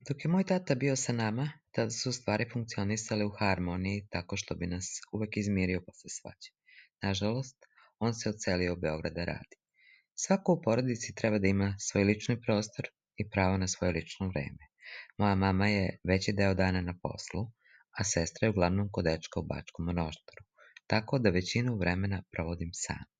Dok je moj tata bio sa nama, tada su stvari funkcionisale u harmoniji tako što bi nas uvek izmirio posle svađe. Nažalost, on se odselio u Beograd da radi. Svako u porodici treba da ima svoj lični prostor i pravo na svoje lično vreme. Moja mama je veći deo dana na poslu, a sestra je uglavnom kod dečka u Bačkom Monoštoru, tako da većinu vremena provodim sama.